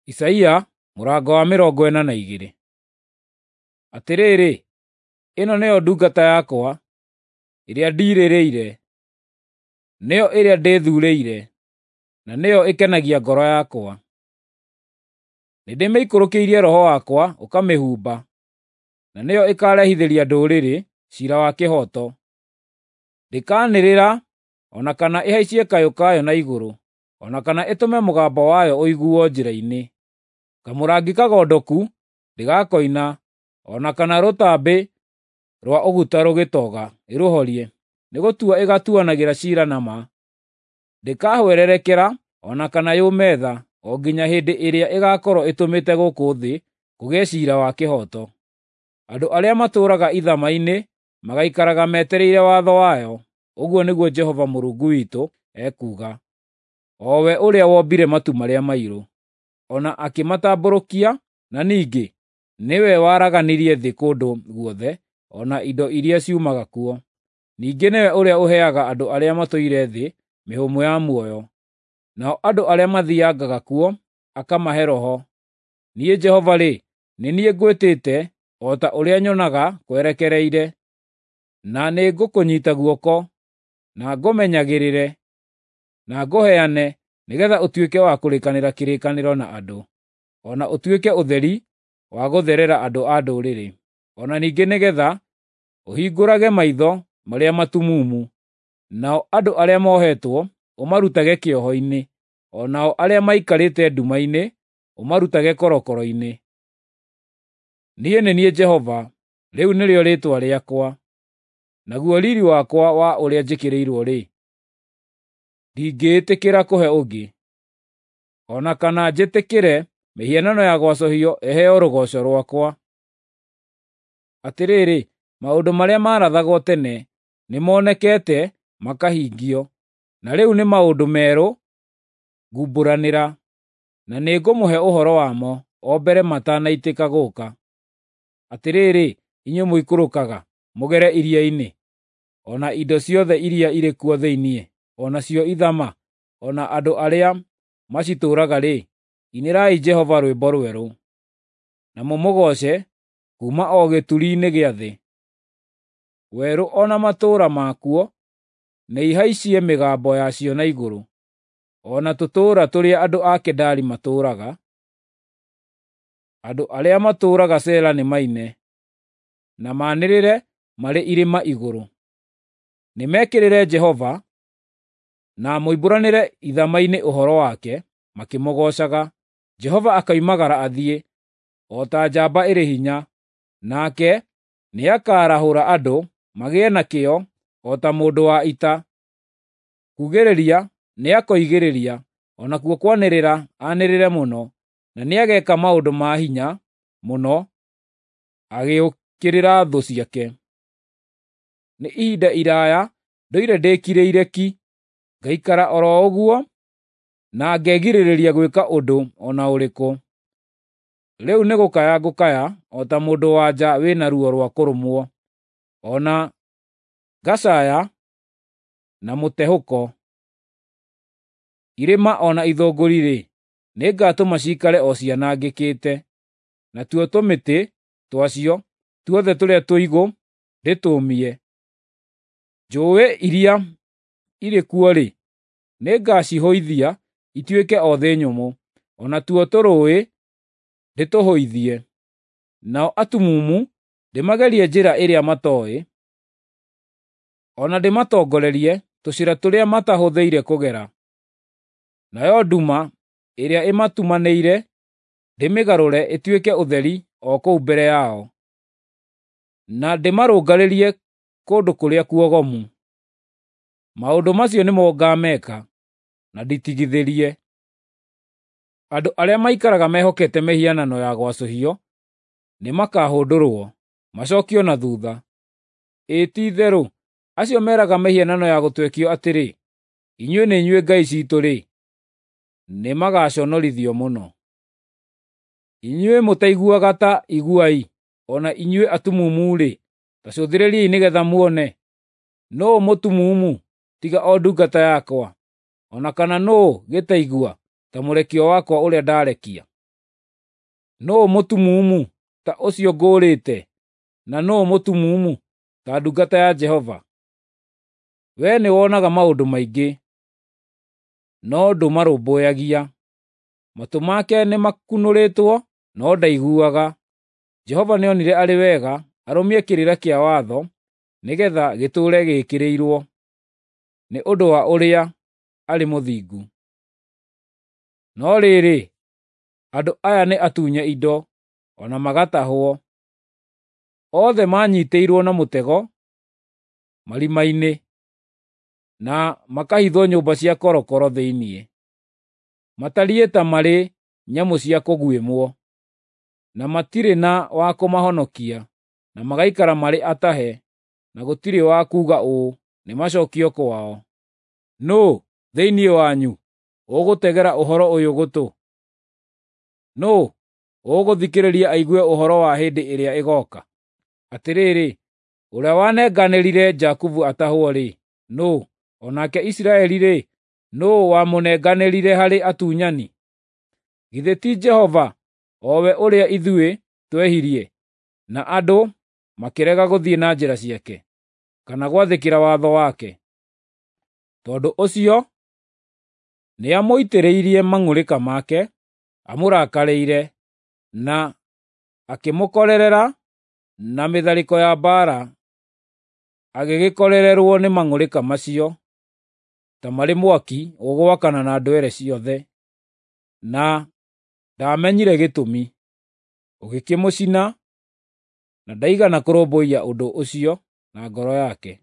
Isaia mũrango wa 42. Atĩrĩrĩ, ĩno nĩyo ndungata yakwa, ĩrĩa ndiirĩrĩire, nĩyo ĩrĩa ndĩthuurĩire, na nĩyo ĩkenagia ngoro yakwa. Nĩndĩmĩikũrũkĩirie Roho wakwa ũkamĩhumba, na nĩyo ĩkaarehithĩria ndũrĩrĩ ciira wa kĩhooto. Ndĩkanĩrĩra o na kana ĩhaicie kayũ kayo na igũrũ, o na kana ĩtũme mũgambo wayo ũiguo njĩra-inĩ. Kamũrangi kagondoku ndĩgakoina, o na kana rũtambĩ rwa ũguta rũgĩtoga ĩrũhorie, nĩgũtua ĩgaatuanagĩra ciira na ma. Ndĩkahwererekera o na kana yũme tha, o nginya hĩndĩ ĩrĩa ĩgaakorwo ĩtũmĩte gũkũ thĩ kũgĩe ciira wa kĩhooto. Andũ arĩa matũũraga ithama-inĩ magaikaraga metereire watho wayo, ũguo nĩguo Jehova Mũrungu witũ ekuuga, o we ũrĩa wombire matu marĩa mairũ, o na akĩmatambũrũkia, na ningĩ nĩwe waraganirie thĩ kũndũ guothe o na indo iria ciumaga kuo. Ningĩ nĩwe ũrĩa ũheaga andũ arĩa matũire thĩ mĩhũmũ ya muoyo, nao andũ arĩa mathiiangaga kuo akamahe roho. Niĩ Jehova-rĩ, nĩ niĩ ngwĩtĩte o ta ũrĩa nyonaga kwerekereire, na nĩngũkũnyiita guoko, na ngũmenyagĩrĩre, na ngũheane nĩgeetha ũtuĩke wa kũrĩkanĩra kĩrĩkanĩro na andũ, o na ũtuĩke ũtheri wa gũtherera andũ a ndũrĩrĩ, o na ningĩ nĩgeetha ũhingũrage maitho marĩa matumumu, nao andũ arĩa mohetwo ũmarutage kĩoho-inĩ, o nao arĩa maikarĩte nduma-inĩ ũmarutage korokoro-inĩ. Niĩ nĩ niĩ Jehova, rĩu nĩrĩo rĩĩtwa rĩakwa, naguo riiri wakwa wa ũrĩa njĩkĩrĩirwo-rĩ, ndingĩĩtĩkĩra kũhe ũngĩ, o na kana njĩtĩkĩre mĩhianano ya gwacũhio ĩheo rũgooco rwakwa. Atĩrĩrĩ, maũndũ marĩa maarathagwo tene nĩmonekete makahingio, na rĩu nĩ maũndũ merũ ngumbũranĩra, na nĩngũmũhe ũhoro wamo o mbere matanaitĩka gũũka. Atĩrĩrĩ, inyuĩ mũikũrũkaga mũgere iria-inĩ, o na indo ciothe iria irĩ kuo thĩinĩ, o nacio ithama, o na andũ arĩa macitũũraga-rĩ, inĩrai Jehova rwĩmbo rwerũ, na mũmũgooce kuuma o gĩturi-inĩ gĩa thĩ. Werũ o na matũũra makuo nĩihaicie mĩgambo yacio na igũrũ, o na tũtũũra tũrĩa andũ a Kedari matũũraga. Andũ arĩa matũũraga Sela nĩmaine, na maanĩrĩre marĩ irĩma igũrũ. Nĩmekĩrĩre Jehova, na moimbũranĩre ithama-inĩ ũhoro wake makĩmũgoocaga. Jehova akoimagara athiĩ, o ta njamba ĩrĩ hinya, nake nĩakarahũra andũ magĩe na kĩyo o ta mũndũ wa ita. Kuugĩrĩria nĩakoigĩrĩria, o nakuo kwanĩrĩra anĩrĩre mũno, na nĩageeka maũndũ ma hinya mũno agĩũkĩrĩra thũ ciake. Nĩ ihinda iraaya ndũire ndĩkirĩire ki, ngaikara oro ũguo na ngegirĩrĩria gwĩka ũndũ o na ũrĩkũ. Rĩu nĩgũkaya ngũkaya o ta mũndũ-wa-nja wĩna ruo rwa kũrũmwo, o na ngacaaya na mũtehũko. Irĩma o na ithũngũri-rĩ, nĩngatũma ciikare o cianangĩkĩte, natuo tũmĩtĩ twacio tuothe tũrĩa tũigũ ndĩtũũmie. Njũũĩ iria irĩ kuo-rĩ, nĩngacihũithia ituĩke o thĩ nyũmũ, o natuo tũrũũĩ ndĩtũhũithie. Nao atumumu ndĩmagerie njĩra ĩrĩa matooĩ, o na ndĩmatongorerie tũcĩra tũrĩa matahũthĩire kũgera. Nayo nduma ĩrĩa ĩmatumanĩire ndĩmĩgarũre ĩtuĩke ũtheri o kũu mbere yao, na ndĩmarũngarĩrie kũndũ kũrĩa kuogomu. Maũndũ macio nĩmo ngaameka, na nditigithĩrie. Andũ arĩa maikaraga mehokete mĩhianano ya gwacũhio nĩmakahũndũrwo, macookio na thuutha. Ĩĩ ti-itherũ, acio meraga mĩhianano ya gũtwekio atĩrĩ, ‘Inyuĩ nĩ inyuĩ ngai ciitũ-rĩ,’ nĩmagaconorithio mũno. Inyuĩ mũtaiguaga ta iguai, o na inyuĩ atumumu-rĩ, ta cũthĩrĩriai nĩgeetha muone. Nũũ mũtumumu tiga o ndungata yakwa, o na kana nũũ gĩtaigua ta mũrekio wakwa ũrĩa ndarekia? Nũũ mũtumumu ta ũcio ngũũrĩte, na nũũ mũtumumu ta ndungata ya Jehova? Wee nĩwonaga maũndũ maingĩ, no ndũmarũmbũyagia. Matũ make nĩmakunũrĩtwo, no ndaiguaga. Jehova nĩonire arĩ wega arũmie kĩrĩra kĩa watho, nĩgeetha gĩtũũre gĩĩkĩrĩirwo, nĩ ũndũ wa ũrĩa arĩ mũthingu. No rĩrĩ, andũ aya nĩ atunye indo, o na magatahwo. Othe maanyiitĩirwo na mũtego marima-inĩ, na makahithwo nyũmba cia korokoro thĩinĩ. Matariĩ ta marĩ nyamũ cia kũguĩmwo, na matirĩ na wa kũmahonokia, na magaikara marĩ atahe, na gũtirĩ wa kuuga ũũ, “Nĩmacookio kwao.” Nũũ thĩinĩ wanyu ũgũtegera ũhoro ũyũ gũtũ? Nũũ ũgũthikĩrĩria aigue ũhoro wa hĩndĩ ĩrĩa ĩgooka? Atĩrĩrĩ, ũrĩa wanenganĩrire Jakubu atahwo-rĩ, nũũ? O nake Isiraeli-rĩ, nũũ wamũnenganĩrire harĩ atunyani? Githĩ ti Jehova, o we ũrĩa ithuĩ twehirie, na andũ makĩrega gũthiĩ na njĩra ciake, kana gwathĩkĩra watho wake? Tondũ ũcio nĩamũitĩrĩirie mang'ũrĩka make, amũrakarĩire, na akĩmũkorerera na mĩtharĩko ya mbaara, agĩgĩkorererwo nĩ mang'ũrĩka macio ta marĩ mwaki ũgwakana na ndwere ciothe, na ndaamenyire gĩtũmi. Ũgĩkĩmũcina, na ndaigana kũrũmbũiya ũndũ ũcio na ngoro yake.